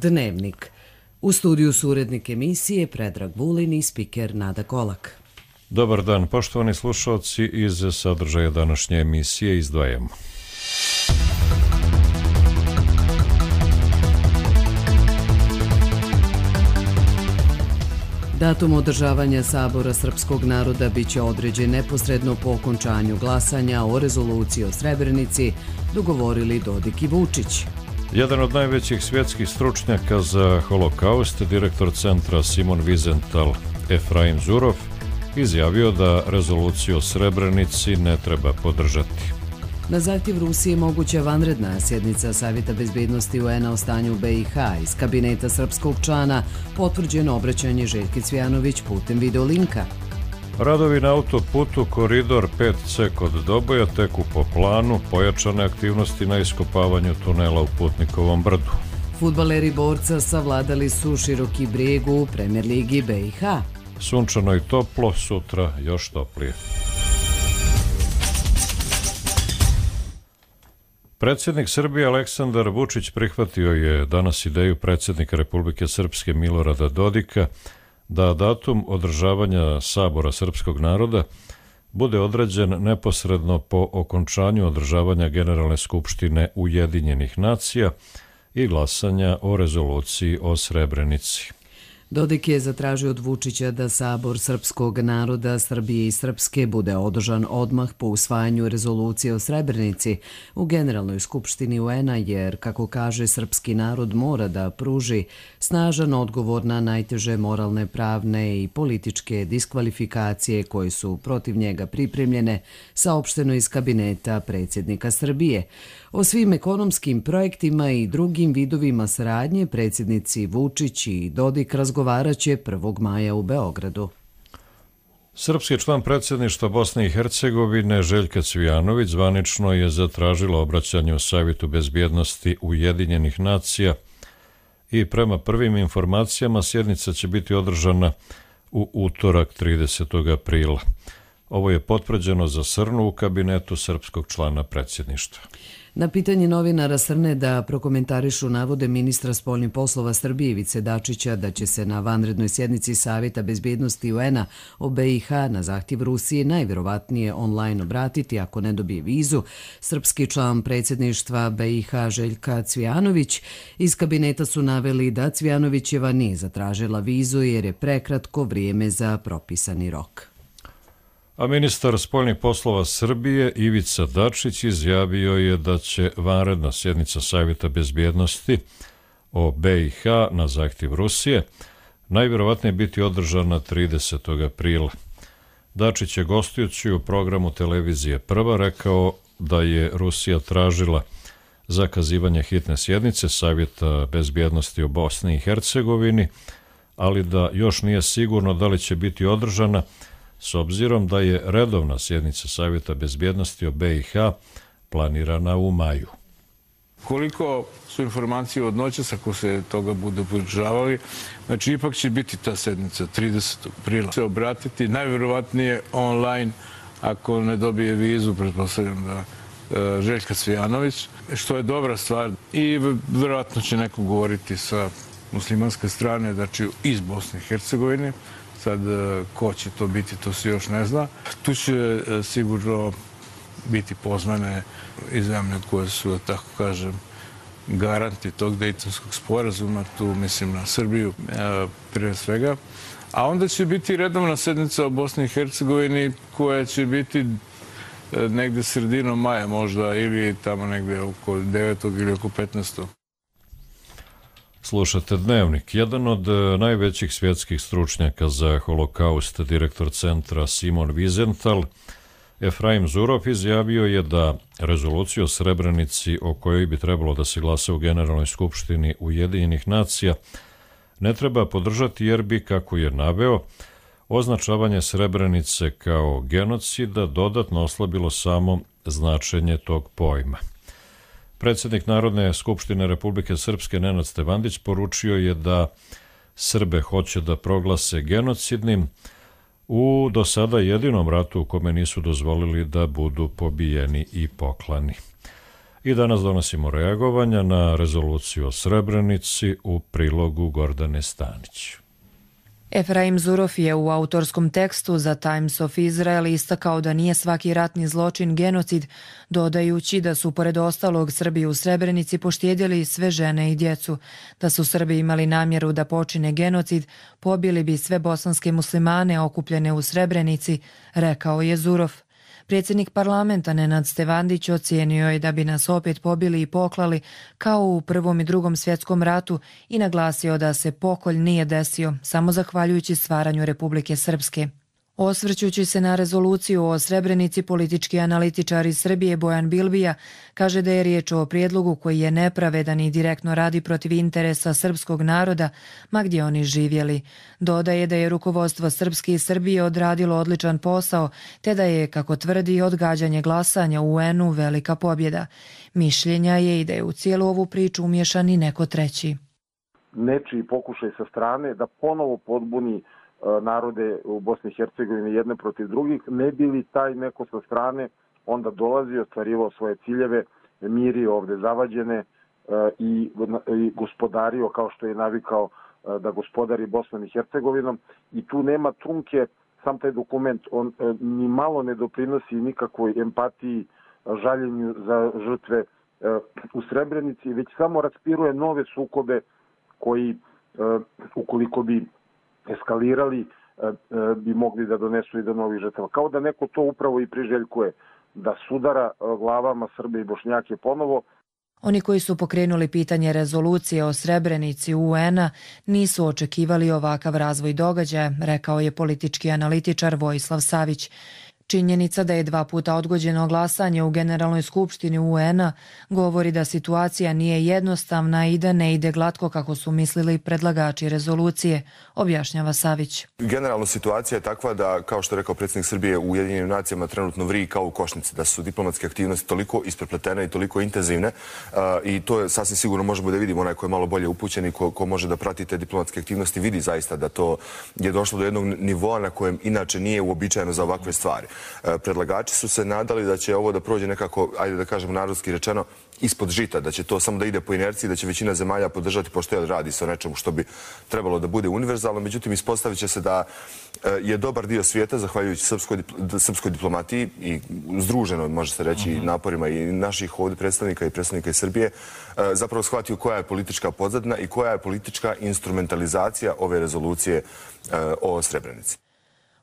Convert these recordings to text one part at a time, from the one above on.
Dnevnik. U studiju su urednik emisije Predrag Vulin i spiker Nada Kolak. Dobar dan, poštovani slušalci, iz sadržaja današnje emisije izdvajamo. Datum održavanja Sabora srpskog naroda biće određen neposredno po okončanju glasanja o rezoluciji o Srebrenici, dogovorili Dodik i Vučić. Jedan od najvećih svjetskih stručnjaka za holokaust, direktor centra Simon Wiesenthal Efraim Zurow, izjavio da rezoluciju o Srebrenici ne treba podržati. Na zahtjev Rusije moguća vanredna sjednica Savjeta bezbednosti UN-a o stanju u BiH. Iz kabineta srpskog člana potvrđeno obraćanje Željke Cvijanović putem videolinka. Radovi na autoputu Koridor 5C kod Doboja teku po planu, pojačane aktivnosti na iskopavanju tunela u Putnikovom brdu. Fudbaleri Borca savladali su Široki Brijeg u Premier ligi BiH. Sunčano i toplo, sutra još toplije. Predsjednik Srbije Aleksandar Vučić prihvatio je danas ideju predsjednika Republike Srpske Milorada Dodika da datum održavanja Sabora srpskog naroda bude određen neposredno po okončanju održavanja Generalne skupštine Ujedinjenih nacija i glasanja o rezoluciji o Srebrenici. Dodik je zatražio od Vučića da Sabor srpskog naroda Srbije i Srpske bude održan odmah po usvajanju rezolucije o Srebrenici u Generalnoj skupštini UN-a, jer, kako kaže, srpski narod mora da pruži snažan odgovor na najteže moralne, pravne i političke diskvalifikacije koje su protiv njega pripremljene, saopšteno iz kabineta predsjednika Srbije. O svim ekonomskim projektima i drugim vidovima saradnje predsjednici Vučić i Dodik razgovarat će 1. maja u Beogradu. Srpski član predsjedništva Bosne i Hercegovine Željka Cvijanović zvanično je zatražila obraćanje u Savjetu bezbjednosti Ujedinjenih nacija i prema prvim informacijama sjednica će biti održana u utorak 30. aprila. Ovo je potvrđeno za Srnu u kabinetu srpskog člana predsjedništva. Na pitanje novinara Srne da prokomentarišu navode ministra spoljnih poslova Srbije Ivice Dačića da će se na vanrednoj sjednici Savjeta bezbjednosti UN-a o BiH na zahtjev Rusije najvjerovatnije online obratiti ako ne dobije vizu, srpski član predsjedništva BiH Željka Cvijanović iz kabineta su naveli da Cvijanovićeva nije zatražila vizu jer je prekratko vrijeme za propisani rok. A ministar spoljnih poslova Srbije Ivica Dačić izjavio je da će vanredna sjednica Savjeta bezbjednosti o BiH na zahtjev Rusije najvjerovatnije biti održana 30. aprila. Dačić je gostujući u programu televizije Prva rekao da je Rusija tražila zakazivanje hitne sjednice Savjeta bezbjednosti o Bosni i Hercegovini, ali da još nije sigurno da li će biti održana s obzirom da je redovna sjednica Savjeta bezbjednosti o BiH planirana u maju. Koliko su informacije od noćas, ako se toga budu podržavali, znači ipak će biti ta sednica 30. aprila. Se obratiti najvjerovatnije online ako ne dobije vizu, pretpostavljam da Željka Cvijanović, što je dobra stvar. I vjerojatno će neko govoriti sa muslimanske strane, znači iz Bosne i Hercegovine. Sad, ko će to biti, to se još ne zna. Tu će sigurno biti pozvane i zemlje koje su, da tako kažem, garanti tog Dejtonskog sporazuma. Tu mislim na Srbiju prije svega. A onda će biti redovna sednica o Bosni i Hercegovini koja će biti negde sredinom maja možda ili tamo negde oko 9. ili oko 15. Slušate Dnevnik. Jedan od najvećih svjetskih stručnjaka za holokaust, direktor centra Simon Wiesenthal Efraim Zurow izjavio je da rezoluciju o Srebrenici o kojoj bi trebalo da se glasa u Generalnoj skupštini Ujedinjenih nacija ne treba podržati jer bi, kako je naveo, označavanje Srebrenice kao genocida dodatno oslabilo samo značenje tog pojma. Predsjednik Narodne skupštine Republike Srpske Nenad Stevandić poručio je da Srbe hoće da proglase genocidnim u do sada jedinom ratu u kome nisu dozvolili da budu pobijeni i poklani. I danas donosimo reagovanja na rezoluciju o Srebrenici u prilogu Gordane Stanić. Efraim Zurof je u autorskom tekstu za Times of Israel istakao da nije svaki ratni zločin genocid, dodajući da su pored ostalog Srbi u Srebrenici poštedjeli sve žene i djecu. Da su Srbi imali namjeru da počine genocid, pobili bi sve bosanske muslimane okupljene u Srebrenici, rekao je Zurof. Predsjednik parlamenta Nenad Stevandić ocijenio je da bi nas opet pobili i poklali kao u Prvom i Drugom svjetskom ratu i naglasio da se pokolj nije desio samo zahvaljujući stvaranju Republike Srpske. Osvrćući se na rezoluciju o Srebrenici, politički analitičar iz Srbije Bojan Bilbija kaže da je riječ o prijedlogu koji je nepravedan i direktno radi protiv interesa srpskog naroda, ma gdje oni živjeli. Dodaje da je rukovodstvo Srpske i Srbije odradilo odličan posao, te da je, kako tvrdi, odgađanje glasanja u UN-u velika pobjeda. Mišljenja je i da je u cijelu ovu priču umiješan i neko treći. Nečiji pokušaj sa strane da ponovo podbuni narode u Bosni i Hercegovini jedne protiv drugih, ne bi li taj neko sa strane onda dolazio, ostvarivao svoje ciljeve, mirio ovde zavađene i gospodario kao što je navikao da gospodari Bosnom i Hercegovinom. I tu nema trunke, sam taj dokument, on ni malo ne doprinosi nikakvoj empatiji, žaljenju za žrtve u Srebrenici, već samo raspiruje nove sukobe koji, ukoliko bi eskalirali, bi mogli da donesu i do novih žrtava. Kao da neko to upravo i priželjkuje, da sudara glavama Srbe i Bošnjake ponovo. Oni koji su pokrenuli pitanje rezolucije o Srebrenici UN-a nisu očekivali ovakav razvoj događaja, rekao je politički analitičar Vojislav Savić. Činjenica da je 2 puta odgođeno glasanje u Generalnoj skupštini UN-a govori da situacija nije jednostavna i da ne ide glatko kako su mislili predlagači rezolucije, objašnjava Savić. Generalno situacija je takva da, kao što je rekao predsjednik Srbije, u Ujedinjenim nacijama trenutno vri kao u košnici, da su diplomatske aktivnosti toliko isprepletene i toliko intenzivne i to je sasvim sigurno možemo da vidimo, onaj ko je malo bolje upućen i ko može da prati te diplomatske aktivnosti vidi zaista da to je došlo do jednog nivoa na kojem inače nije uobičajeno za ovakve stvari. Predlagači su se nadali da će ovo da prođe nekako, ajde da kažemo narodski rečeno, ispod žita, da će to samo da ide po inerciji, da će većina zemalja podržati, pošto radi se o nečemu što bi trebalo da bude univerzalno. Međutim, ispostavit će se da je dobar dio svijeta, zahvaljujući srpskoj diplomatiji i združenoj, može se reći, naporima i naših ovdje predstavnika i predstavnika iz Srbije, zapravo shvatio koja je politička pozadina i koja je politička instrumentalizacija ove rezolucije o Srebrenici.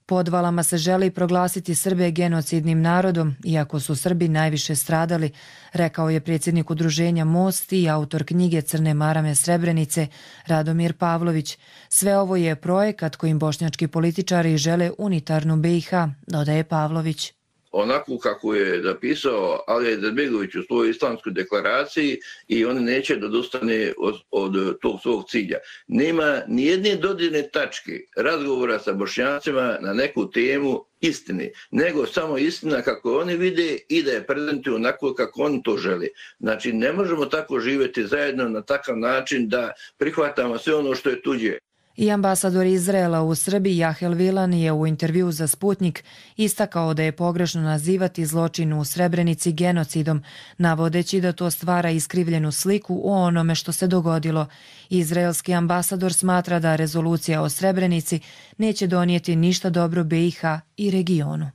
Podvalama se želi proglasiti Srbe genocidnim narodom, iako su Srbi najviše stradali, rekao je predsjednik udruženja Most i autor knjige Crne marame Srebrenice, Radomir Pavlović. Sve ovo je projekat kojim bošnjački političari žele unitarnu BiH, dodaje Pavlović. Onako kako je napisao Alija Izetbegović u svojoj islamskoj deklaraciji i on neće da odustane od tog svog cilja. Nema nijedne dodirne tačke razgovora sa Bošnjacima na neku temu istine, nego samo istina kako oni vide i da je prezentuju onako kako oni to žele. Znači, ne možemo tako živjeti zajedno na takav način da prihvatamo sve ono što je tuđe. I ambasador Izraela u Srbiji Jahel Vilan je u intervju za Sputnik istakao da je pogrešno nazivati zločin u Srebrenici genocidom, navodeći da to stvara iskrivljenu sliku o onome što se dogodilo. Izraelski ambasador smatra da rezolucija o Srebrenici neće donijeti ništa dobro BiH i regionu.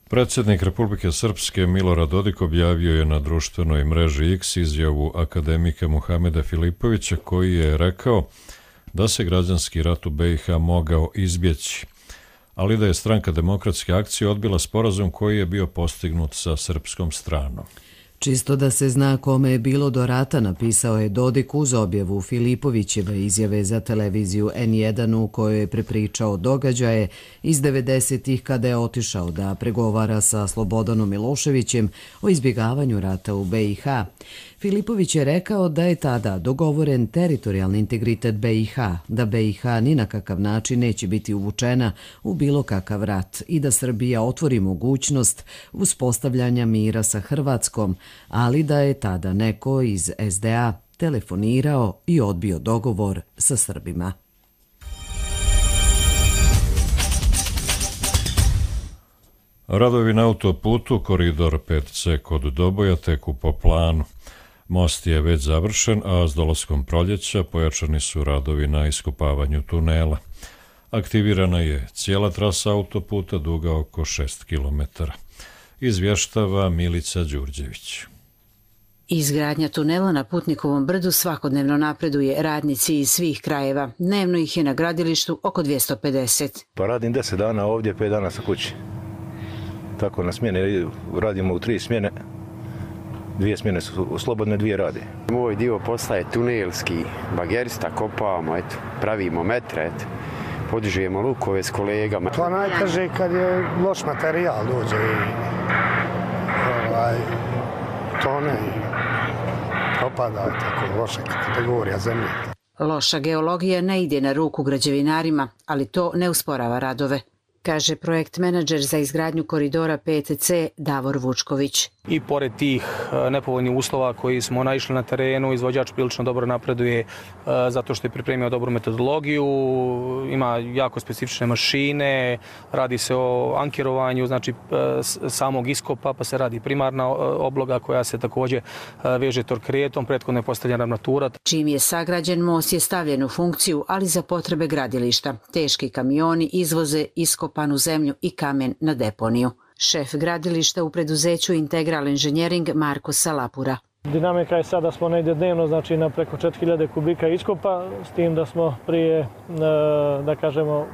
Predsjednik Republike Srpske Milorad Dodik objavio je na društvenoj mreži X izjavu akademika Muhameda Filipovića koji je rekao da se građanski rat u BiH mogao izbjeći, ali da je Stranka demokratske akcije odbila sporazum koji je bio postignut sa srpskom stranom. Čisto da se zna kome je bilo do rata, napisao je Dodik uz objavu Filipovićeve izjave za televiziju N1 u kojoj je prepričao događaje iz 90-ih kada je otišao da pregovara sa Slobodanom Miloševićem o izbjegavanju rata u BiH. Filipović je rekao da je tada dogovoren teritorijalni integritet BiH, da BiH ni na kakav način neće biti uvučena u bilo kakav rat i da Srbija otvori mogućnost uspostavljanja mira sa Hrvatskom, ali da je tada neko iz SDA telefonirao i odbio dogovor sa Srbima. Radovi na autoputu koridor 5C kod Doboja teku po planu. Most je već završen, a s dolaskom proljeća pojačani su radovi na iskopavanju tunela. Aktivirana je cijela trasa autoputa duga oko 6 km. Izvještava Milica Đurđević. Izgradnja tunela na Putnikovom brdu svakodnevno napreduje, radnici iz svih krajeva. Dnevno ih je na gradilištu oko 250. Pa radim 10 dana ovdje, 5 dana sa kući. Tako na smjene, radimo u 3 smjene. 2 smjene su slobodne, 2 rade. Moj dio posla je tunelski, bagerista, kopavamo, pravimo metre, podižujemo lukove s kolegama. To najteže kad je loš materijal dođe i tone propada, tako loša kategorija zemlje. Loša geologija ne ide na ruku građevinarima, ali to ne usporava radove, kaže projekt menadžer za izgradnju koridora 5C Davor Vučković. I pored tih nepovoljnih uslova koji smo naišli na terenu, izvođač prilično dobro napreduje zato što je pripremio dobru metodologiju, ima jako specifične mašine, radi se o ankirovanju, znači samog iskopa, pa se radi primarna obloga koja se također veže torkretom, prethodno je postavljena armatura. Čim je sagrađen, most je stavljen u funkciju, ali za potrebe gradilišta. Teški kamioni izvoze iskopanu zemlju i kamen na deponiju. Šef gradilišta u preduzeću Integral Engineering Marko Salapura. Dinamika je sada da smo negdje dnevno, znači na preko 4000 kubika iskopa, s tim da smo prije, da kažemo,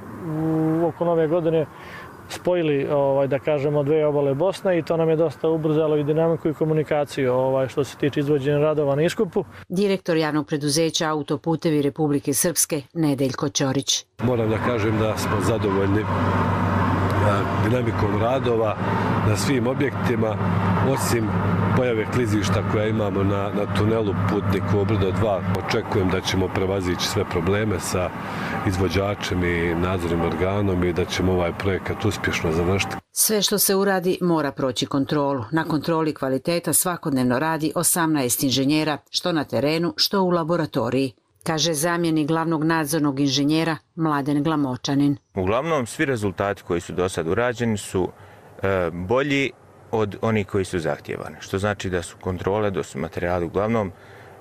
oko nove godine spojili, da kažemo, 2 obale Bosne i to nam je dosta ubrzalo i dinamiku i komunikaciju što se tiče izvođenja radova na iskopu. Direktor javnog preduzeća Autoputevi Republike Srpske Nedeljko Ćorić. Moram da kažem da smo zadovoljni dinamikom radova na svim objektima, osim pojave klizišta koja imamo na tunelu Putnikovo brdo 2. Očekujem da ćemo prevazići sve probleme sa izvođačem i nadzornim organom i da ćemo ovaj projekat uspješno završiti. Sve što se uradi mora proći kontrolu. Na kontroli kvaliteta svakodnevno radi 18 inženjera, što na terenu, što u laboratoriji, kaže zamjenik glavnog nadzornog inženjera Mladen Glamočanin. Uglavnom, svi rezultati koji su do sad urađeni su bolji od onih koji su zahtjevani, što znači da su kontrole, da su materijali uglavnom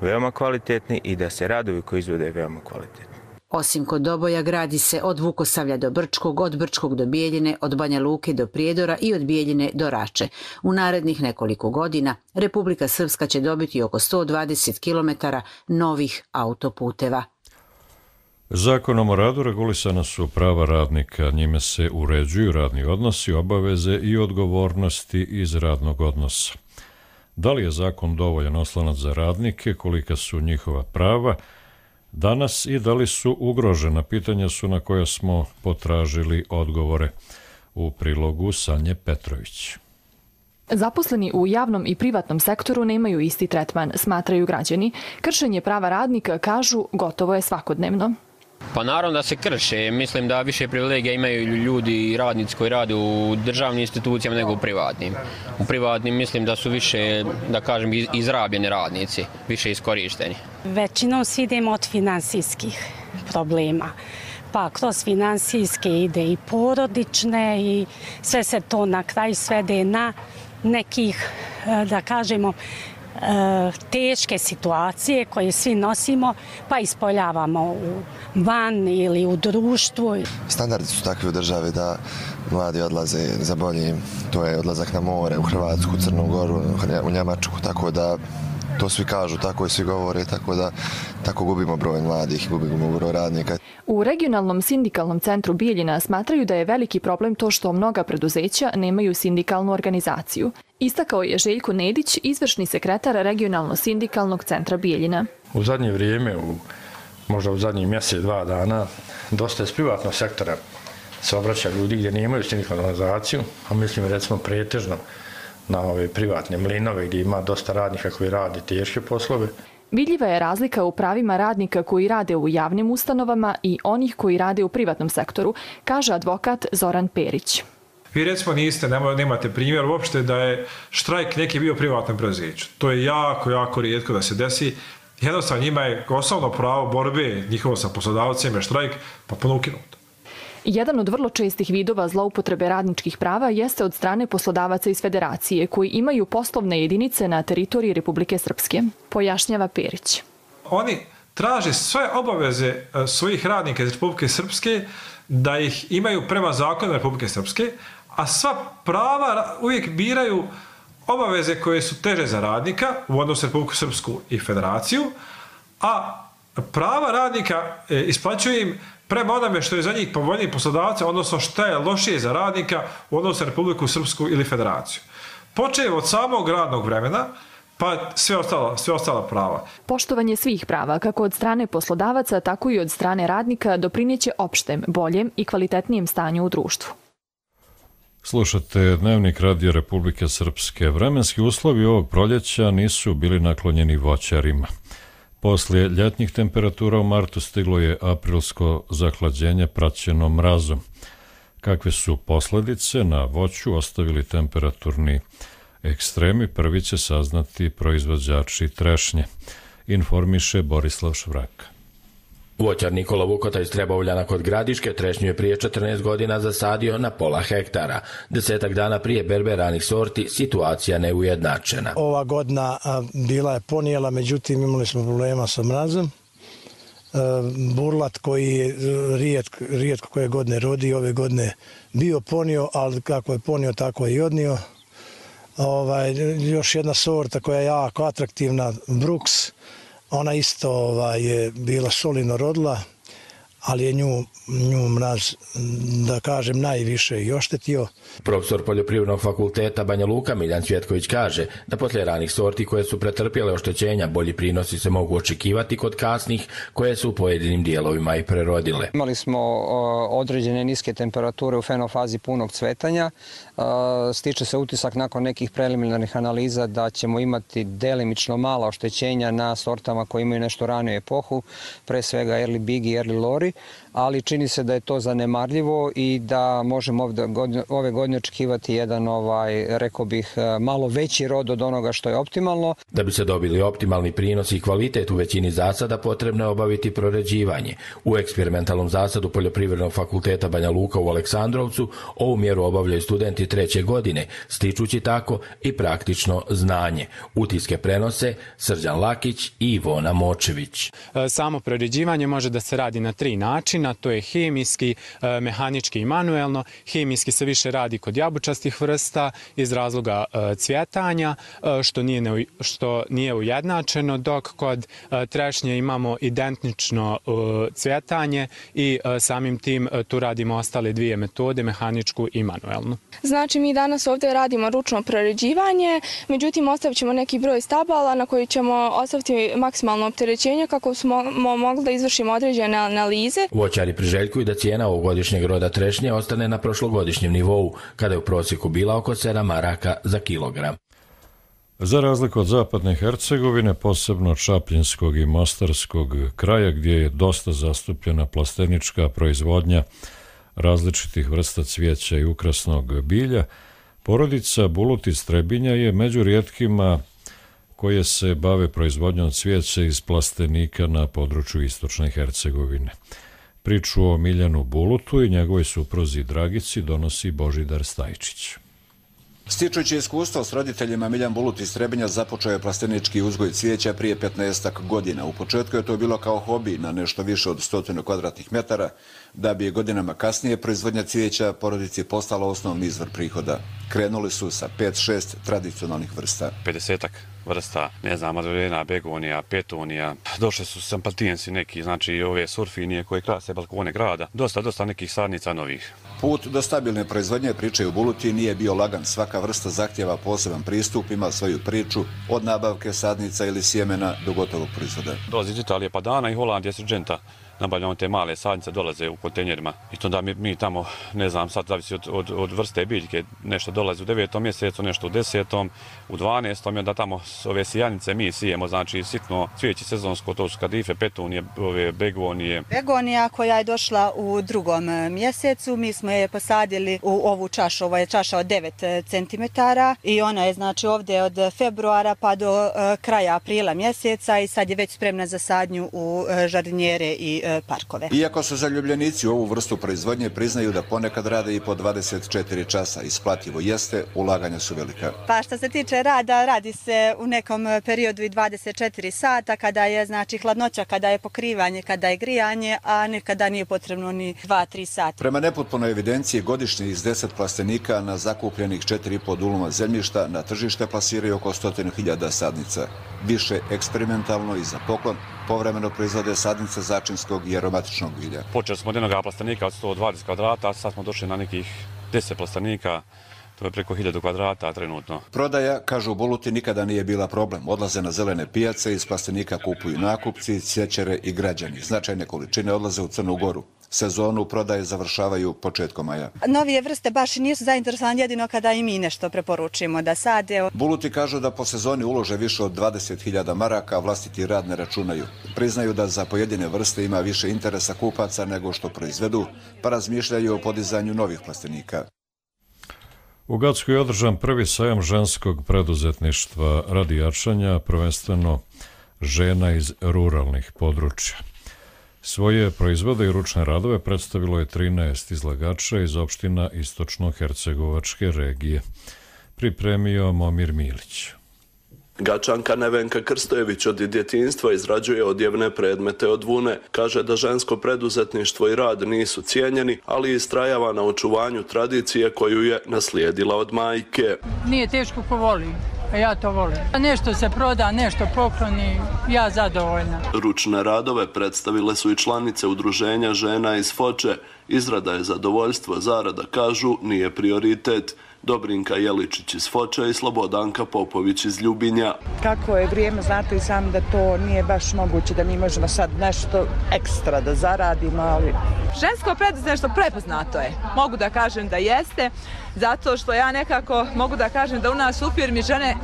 veoma kvalitetni i da se radovi koji izvode veoma kvalitetni. Osim kod Doboja gradi se od Vukosavlja do Brčkog, od Brčkog do Bijeljine, od Banja Luke do Prijedora i od Bijeljine do Rače. U narednih nekoliko godina Republika Srpska će dobiti oko 120 km novih autoputeva. Zakonom o radu regulisana su prava radnika, njime se uređuju radni odnosi, obaveze i odgovornosti iz radnog odnosa. Da li je zakon dovoljan oslonac za radnike, kolika su njihova prava danas i da li su ugrožena, pitanja su na koja smo potražili odgovore. U prilogu Sanje Petrović. Zaposleni u javnom i privatnom sektoru nemaju isti tretman, smatraju građani. Kršenje prava radnika, kažu, gotovo je svakodnevno. Pa naravno da se krše. Mislim da više privilegija imaju ljudi i radnici koji rade u državnim institucijama nego u privatnim. U privatnim mislim da su više, da kažem, izrabljeni radnici, više iskorišteni. Većinom svi idemo od finansijskih problema. Pa kroz finansijske ide i porodične i sve se to na kraju svede na nekih, da kažemo, teške situacije koje svi nosimo pa ispoljavamo van ili u društvu. Standardi su takvi u državi da mladi odlaze za boljim, to je odlazak na more u Hrvatsku, Crnu Goru, u Njemačku, tako da to svi kažu, tako i svi govore, tako da tako gubimo broj mladih, gubimo broj radnika. U regionalnom sindikalnom centru Bijeljina smatraju da je veliki problem to što mnoga preduzeća nemaju sindikalnu organizaciju. Istakao je Željko Nedić, izvršni sekretar regionalno-sindikalnog centra Bijeljina. U zadnje vrijeme, možda u zadnjih mjesec, 2 dana, dosta iz privatnog sektora se obraća ljudi gdje nemaju sindikalnu organizaciju, a mislim recimo pretežno na ove privatne mlinove gdje ima dosta radnika koji rade teške poslove. Vidljiva je razlika u pravima radnika koji rade u javnim ustanovama i onih koji rade u privatnom sektoru, kaže advokat Zoran Perić. Vi recimo nemate primjer uopšte da je štrajk neki bio privatnom preduzeću. To je jako rijetko da se desi. Jednostavno njima je osnovno pravo borbe njihovo sa poslodavcem je štrajk, pa puno ukinuto. Jedan od vrlo čestih vidova zloupotrebe radničkih prava jeste od strane poslodavaca iz Federacije koji imaju poslovne jedinice na teritoriji Republike Srpske, pojašnjava Perić. Oni traže sve obaveze svojih radnika iz Republike Srpske da ih imaju prema zakonu Republike Srpske, a sva prava uvijek biraju obaveze koje su teže za radnika u odnosu Republiku Srpsku i Federaciju, a prava radnika isplaćuju im prema onome što je za njih povoljniji poslodavca, odnosno što je lošije za radnika u odnosu Republiku Srpsku ili Federaciju. Počev od samog radnog vremena, pa sve ostala prava. Poštovanje svih prava, kako od strane poslodavaca, tako i od strane radnika, doprineće opštem, boljem i kvalitetnijem stanju u društvu. Slušate Dnevnik Radio Republike Srpske. Vremenski uslovi ovog proljeća nisu bili naklonjeni voćarima. Poslije ljetnjih temperatura u martu stiglo je aprilsko zahlađenje praćeno mrazom. Kakve su posljedice na voću ostavili temperaturni ekstremi, prvi će saznati proizvođači trešnje, informiše Borislav Švraka. Voćar Nikola Vukota iz Trebovljana kod Gradiške trešnju je prije 14 godina zasadio na pola hektara. 10 dana prije berbe ranih sorti situacija neujednačena. Ova godina bila je ponijela, međutim imali smo problema sa mrazom. Burlat koji je rijetko koje godine rodi, ove godine bio ponio, ali kako je ponio tako je i odnio. Još jedna sorta koja je jako atraktivna, Brooks, ona isto je bila solidno rodila, ali je nju mraz, da kažem, najviše i oštetio. Profesor Poljoprivrednog fakulteta Banja Luka Miljan Cvjetković kaže da poslije ranih sorti koje su pretrpjele oštećenja bolji prinosi se mogu očekivati kod kasnih koje su u pojedinim dijelovima i prerodile. Imali smo određene niske temperature u fenofazi punog cvetanja. Stiče se utisak nakon nekih preliminarnih analiza da ćemo imati delimično mala oštećenja na sortama koje imaju nešto raniju epohu, pre svega Early Big i Early Lori, ali čini se da je to zanemarljivo i da možemo ove godine očekivati jedan, rekao bih, malo veći rod od onoga što je optimalno. Da bi se dobili optimalni prinos i kvalitet u većini zasada, potrebno je obaviti proređivanje. U eksperimentalnom zasadu Poljoprivrednog fakulteta Banja Luka u Aleksandrovcu ovu mjeru obavljaju studenti 3. godine, stičući tako i praktično znanje. Utiske prenose Srđan Lakić i Ivona Močević. Samo proređivanje može da se radi na 3 načina, to je hemijski, mehanički i manuelno. Hemijski se više radi kod jabučastih vrsta iz razloga cvjetanja, što nije ujednačeno, dok kod trešnje imamo identično cvjetanje i samim tim tu radimo ostale 2 metode, mehaničku i manuelnu. Znači mi danas ovdje radimo ručno proređivanje, međutim ostavit ćemo neki broj stabala na koji ćemo ostaviti maksimalno opterećenje kako smo mogli da izvršimo određene analize. Voćari priželjkuju da cijena ovogodišnjeg roda trešnje ostane na prošlogodišnjem nivou, kada je u prosjeku bila oko 7 maraka za kilogram. Za razliku od zapadne Hercegovine, posebno Čapljinskog i Mostarskog kraja, gdje je dosta zastupljena plastenička proizvodnja različitih vrsta cvijeća i ukrasnog bilja, porodica Bulut iz Trebinja je među rijetkima koje se bave proizvodnjom cvijeća iz plastenika na području istočne Hercegovine. Priču o Miljanu Bulutu i njegovoj supruzi Dragici donosi Božidar Stajčić. Stičući iskustvo s roditeljima, Miljan Bulut iz Trebinja započeo je plastenički uzgoj cvijeća prije 15 godina. U početku je to bilo kao hobi na nešto više od 100 kvadratnih metara, da bi je godinama kasnije proizvodnja cvijeća porodici postala osnovni izvor prihoda. Krenuli su sa 5-6 tradicionalnih vrsta. 50-ak vrsta, ne znam, madrolena, begonija, petunija. Došli su sampatijensi neki, znači ove surfinije koje krase balkone grada. Dosta nekih sadnica novih. Put do stabilne proizvodnje, pričaju Buluti, nije bio lagan. Svaka vrsta zahtjeva poseban pristup, ima svoju priču od nabavke sadnica ili sjemena do gotovog proizvoda. Dolazi iz Italije pa dana i Holandije Sirđenta. Nabavljamo te male sadnice, dolaze u kontejnerima i to da mi tamo, ne znam, sad zavisi od vrste biljke, nešto dolazi u 9. mjesecu, nešto u 10. u 12. i onda tamo ove sijanice mi sijemo, znači sitno cvijeće sezonsko, to su kadife, petunije, ove begonije. Begonija koja je došla u 2. mjesecu, mi smo je posadili u ovu čašu, ovo je čaša od 9 cm i ona je znači ovdje od februara pa do kraja aprila mjeseca i sad je već spremna za sadnju u žardinjere i parkove. Iako su zaljubljenici u ovu vrstu proizvodnje, priznaju da ponekad rade i po 24 časa. Isplativo jeste, ulaganja su velika. Pa što se tiče rada, radi se u nekom periodu i 24 sata, kada je znači hladnoća, kada je pokrivanje, kada je grijanje, a nekada nije potrebno ni 2-3 sata. Prema nepotpunoj evidenciji, godišnje iz 10 plastenika na zakupljenih 4,5 duluma zemljišta na tržište plasiraju oko 100.000 sadnica. Više eksperimentalno i za poklon povremeno proizvode sadnice začinskog i aromatičnog bilja. Počeli smo od jednog plastenika od 120 kvadrata, a sad smo došli na nekih 10 plastenika. To je preko 1000 kvadrata trenutno. Prodaja, kažu Buluti, nikada nije bila problem. Odlaze na zelene pijace, iz plastenika kupuju nakupci, cjećare i građani. Značajne količine odlaze u Crnu Goru. Sezonu prodaje završavaju početkom maja. Novije vrste baš nisu zainteresovani, jedino kada i mi nešto preporučimo da sade. Buluti kažu da po sezoni ulože više od 20.000 maraka, a vlastiti rad ne računaju. Priznaju da za pojedine vrste ima više interesa kupaca nego što proizvedu, pa razmišljaju o podizanju novih plastenika. U Gacku je održan prvi sajam ženskog preduzetništva radi jačanja, prvenstveno žena iz ruralnih područja. Svoje proizvode i ručne radove predstavilo je 13 izlagača iz opština Istočno-Hercegovačke regije. Pripremio Momir Milić. Gačanka Nevenka Krstojević od djetinjstva izrađuje odjevne predmete od vune. Kaže da žensko preduzetništvo i rad nisu cijenjeni, ali istrajava na očuvanju tradicije koju je naslijedila od majke. Nije teško ko voli, a ja to volim. Nešto se proda, nešto pokloni, ja zadovoljna. Ručne radove predstavile su i članice udruženja žena iz Foče. Izrada je zadovoljstvo, zarada, kažu, nije prioritet. Dobrinka Jeličić iz Foče i Slobodanka Popović iz Ljubinja. Kako je vrijeme, znate i sami da to nije baš moguće, da mi možemo sad nešto ekstra da zaradimo, ali... Žensko preduzetništvo prepoznato je. Mogu da kažem da jeste, zato što ja nekako mogu da kažem da u nas u firmi žene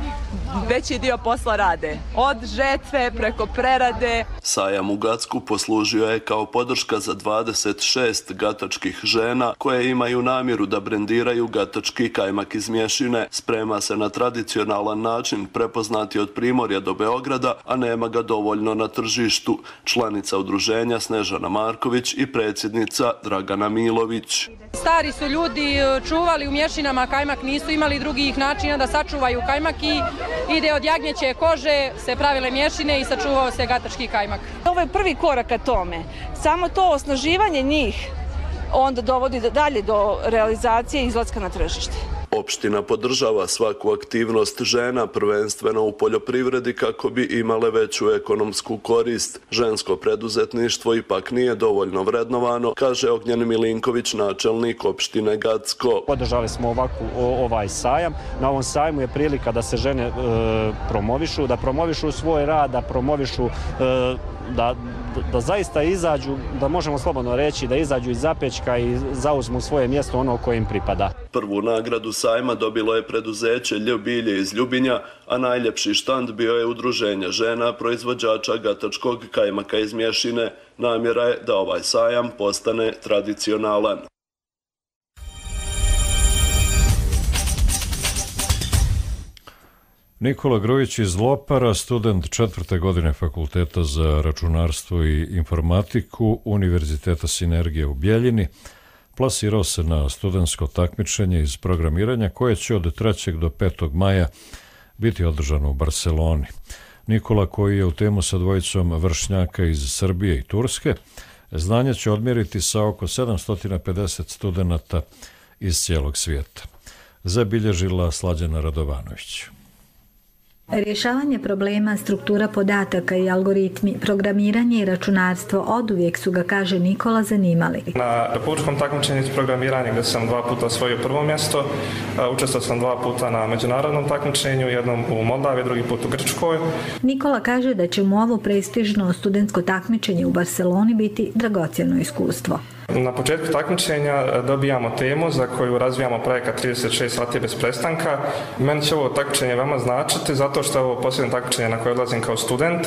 veći dio posla rade. Od žetve preko prerade. Sajam u Gacku poslužio je kao podrška za 26 gatačkih žena koje imaju namjeru da brendiraju gatački kajmak iz mješine. Sprema se na tradicionalan način, prepoznati od Primorja do Beograda, a nema ga dovoljno na tržištu. Članica udruženja Snežana Marković i predsjednica Dragana Milović. Stari su ljudi čuvali u mješinama kajmak, nisu imali drugih načina da sačuvaju kajmak i ide od jagnjeće kože, se pravile mješine i sačuvao se gatački kajmak. Ovo je prvi korak ka tome. Samo to osnaživanje njih onda dovodi dalje do realizacije i izlaska na tržište. Opština podržava svaku aktivnost žena, prvenstveno u poljoprivredi, kako bi imale veću ekonomsku korist. Žensko preduzetništvo ipak nije dovoljno vrednovano, kaže Ognjen Milinković, načelnik opštine Gacko. Podržali smo ovaj sajam. Na ovom sajmu je prilika da se žene promovišu, da promovišu svoj rad, da promovišu da zaista izađu, da možemo slobodno reći, da izađu iz zapećka i zauzmu svoje mjesto ono koje im pripada. Prvu nagradu sajma dobilo je preduzeće Ljubilje iz Ljubinja, a najljepši štand bio je udruženja žena proizvođača gatačkog kajmaka iz mješine. Namjera je da ovaj sajam postane tradicionalan. Nikola Grujić iz Lopara, student 4. godine Fakulteta za računarstvo i informatiku Univerziteta Sinergije u Bjeljini, plasirao se na studentsko takmičenje iz programiranja koje će od 3. do 5. maja biti održano u Barceloni. Nikola, koji je u temu sa dvojicom vršnjaka iz Srbije i Turske, znanje će odmjeriti sa oko 750 studenata iz cijelog svijeta. Zabilježila Slađana Radovanović. Rješavanje problema, struktura podataka i algoritmi, programiranje i računarstvo oduvijek su ga, kaže Nikola, zanimali. Na republičkom takmičenju iz programiranja gdje sam 2 puta osvojio prvo mjesto, učestvovao sam 2 puta na međunarodnom takmičenju, jednom u Moldavi, drugi put u Grčkoj. Nikola kaže da će mu ovo prestižno studentsko takmičenje u Barceloni biti dragocjeno iskustvo. Na početku takmičenja dobijamo temu za koju razvijamo projekat 36 sati bez prestanka. Meni će ovo takmičenje veoma značiti zato što je ovo posljednje takmičenje na koje odlazim kao student.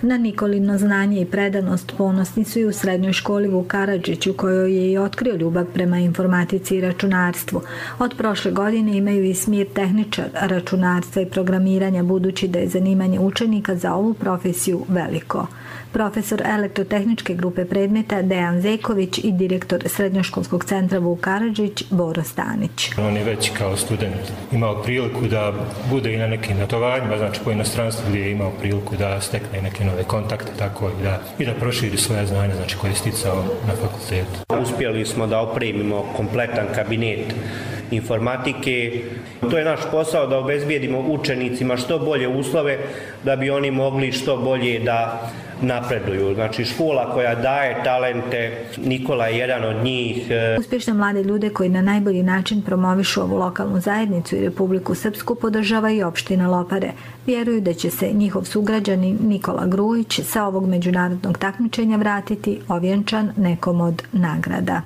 Na Nikolino znanje i predanost ponosni su i u srednjoj školi Vuk Karadžić, u kojoj je i otkrio ljubav prema informatici i računarstvu. Od prošle godine imaju i smjer tehničar računarstva i programiranja, budući da je zanimanje učenika za ovu profesiju veliko. Profesor elektrotehničke grupe predmeta Dejan Zeković i direktor Srednjoškolskog centra Vuk Karadžić Boro Stanić. On je već kao student imao priliku da bude i na nekim natovanjima, znači po inostranstvu gdje je imao priliku da stekne neke nove kontakte, tako i da proširi svoje znanja, znači koje je sticao na fakultetu. Uspjeli smo da opremimo kompletan kabinet informatike. To je naš posao da obezbijedimo učenicima što bolje uslove da bi oni mogli što bolje da napreduju. Znači škola koja daje talente, Nikola je jedan od njih. Uspješne mlade ljude koji na najbolji način promovišu ovu lokalnu zajednicu i Republiku Srpsku podržava i opština Lopare. Vjeruju da će se njihov sugrađanin Nikola Grujić sa ovog međunarodnog takmičenja vratiti ovjenčan nekom od nagrada.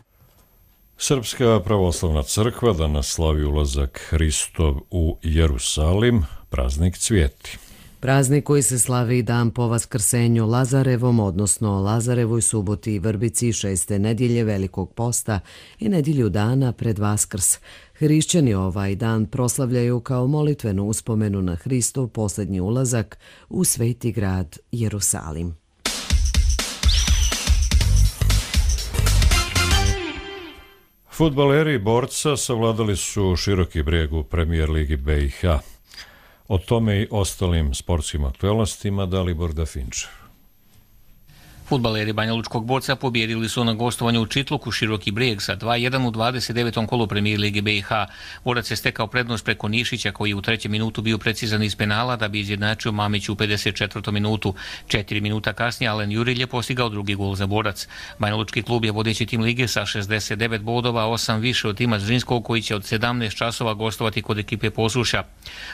Srpska pravoslavna crkva danas slavi ulazak Hristov u Jerusalim, praznik Cvijeti. Praznik koji se slavi dan po Vaskrsenju Lazarevom, odnosno Lazarevoj suboti i vrbici 6. nedjelje Velikog posta i nedjelju dana pred Vaskrs. Hrišćani ovaj dan proslavljaju kao molitvenu uspomenu na Hristov posljednji ulazak u sveti grad Jerusalim. Fudbaleri Borca savladali su Široki Brijeg u Premijer ligi BiH. O tome i ostalim sportskim aktualnostima Dalibor Dafinčev. Fudbaleri Banja Lučkog Borca pobijedili su na gostovanju u Čitluku Široki Brijeg sa 2-1 u 29. kolu Premijer lige BiH. Borac je stekao prednost preko Nišića koji je u 3. minutu bio precizan iz penala da bi izjednačio Mamić u 54. minutu. 4 minuta kasnije Alen Jurilj je postigao drugi gol za Borac. Banja Lučki klub je vodeći tim lige sa 69 bodova, 8 više od tima Zrinskog koji će od 17 časova gostovati kod ekipe Posuša.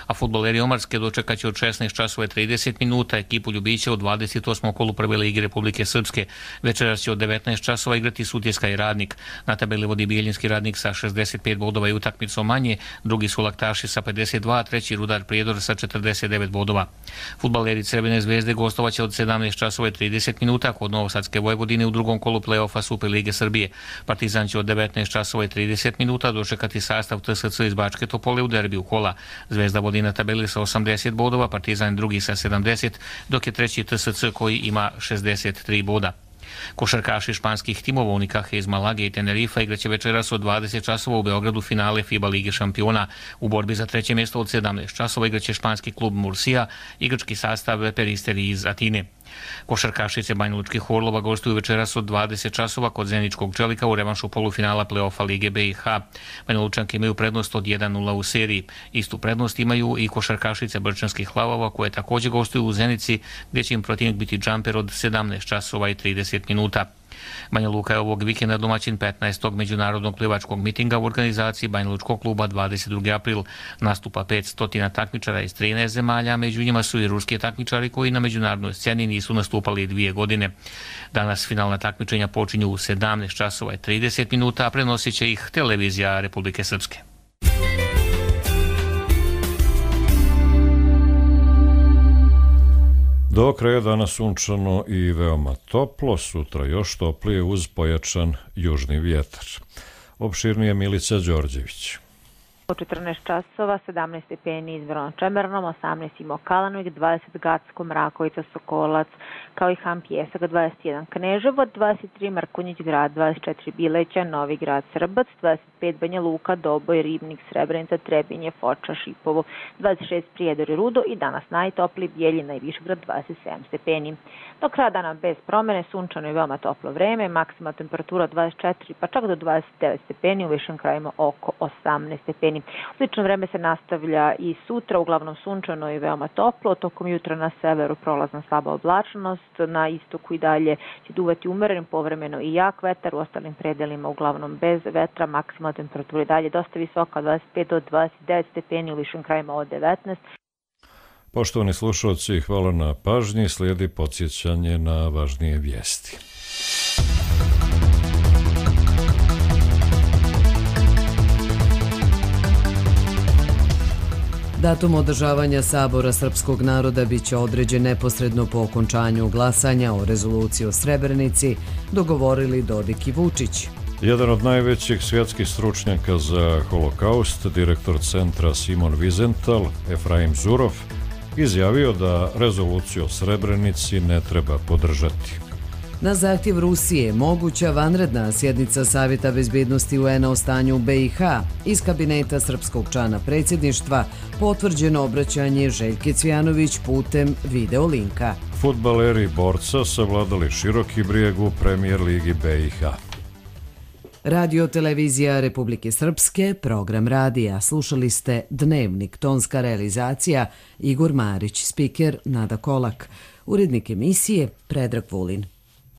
A fudbaleri Omarske dočekat će od 16 časova 30 minuta ekipu Ljubića u 28. kolu Prve lige Republike Srpske. Večeras će od 19 časova igrati Sutjeska i Radnik. Na tabeli vodi Bijeljinski Radnik sa 65 bodova i utakmicom manje, drugi su Laktaši sa 52, treći Rudar Prijedor sa 49 bodova. Fudbaleri Crvene zvezde gostovaće od 17 časova 30 minuta kod Novosadske Vojvodine u drugom kolu play-offa Super lige Srbije. Partizan će od 19 časova 30 minuta dočekati sastav TSC iz Bačke Topole u derbiju kola. Zvezda vodi na tabeli sa 80 bodova, Partizan drugi sa 70, dok je treći TSC koji ima 63 boda. Košarkaši španskih timova Unikahe iz Malage i Tenerifa igraće večeras od 20 časova u Beogradu finale FIBA Lige šampiona. U borbi za treće mjesto od 17 časova igraće španski klub Mursija i grčki sastav Peristeri iz Atine. Košarkašice Banja Lučkih Orlova gostuju večeras od 20 časova kod Zeničkog Čelika u revanšu polufinala play-offa Lige BiH. Banja Lučanke imaju prednost od 1-0 u seriji. Istu prednost imaju i košarkašice Brčanskih Lavova koje također gostuju u Zenici gdje će im protivnik biti džamper od 17 časova i 30 minuta. Banja Luka je ovog vikenda domaćin 15. međunarodnog plivačkog mitinga u organizaciji Banja Lučkog kluba 22. april. Nastupa 500 takmičara iz 13 zemalja, među njima su i ruski takmičari koji na međunarodnoj sceni nisu nastupali 2 godine. Danas finalna takmičenja počinju u 17 časova i 30 minuta, a prenosit će ih televizija Republike Srpske. Do kraja dana sunčano i veoma toplo, sutra još toplije uz pojačan južni vjetar. Opširnije Milica Đorđević. U 14 časova 17 stepeni izvorno Čemernom, 18 imao Kalanovik, 20 Gacko, Mrakovica, Sokolac, kao i Han Pjesak, 21 Kneževo, 23 Mrkonjić grad, 24 Bileća, Novi grad, Srbac, 25 Banja Luka, Doboj, Ribnik, Srebrenica, Trebinje, Foča, Šipovo, 26 Prijedor i Rudo i danas najtopliji Bijeljina i Višgrad, 27 stepeni. Do kraja dana bez promjene, sunčano i veoma toplo vreme, maksimalna temperatura 24 pa čak do 29 stepeni, u višim krajima oko 18 stepeni. Slično vreme se nastavlja i sutra, uglavnom sunčano i veoma toplo, tokom jutra na severu prolazna slaba oblačnost, na istoku i dalje će duvati umeren, povremeno i jak vetar, u ostalim predelima uglavnom bez vetra, maksimalna temperatura i dalje dosta visoka, 25 do 29 stepeni, u višim krajima od 19. Poštovani slušalci, hvala na pažnji, slijedi podsjećanje na važnije vijesti. Datum održavanja Sabora srpskog naroda biće određen neposredno po okončanju glasanja o rezoluciji o Srebrenici, dogovorili Dodik i Vučić. Jedan od najvećih svjetskih stručnjaka za holokaust, direktor centra Simon Wiesenthal, Efraim Zurov, izjavio da rezoluciju o Srebrenici ne treba podržati. Na zahtjev Rusije moguća vanredna sjednica Savjeta bezbjednosti UN-a o stanju u BiH. Iz kabineta srpskog člana predsjedništva potvrđeno obraćanje Željke Cvjanović putem video linka. Fudbaleri Borca savladali Široki Brijeg u Premijer ligi BiH. Radio televizija Republike Srpske, program radija. Slušali ste Dnevnik, tonska realizacija Igor Marić, spiker Nada Kolak, urednik emisije Predrag Vulin.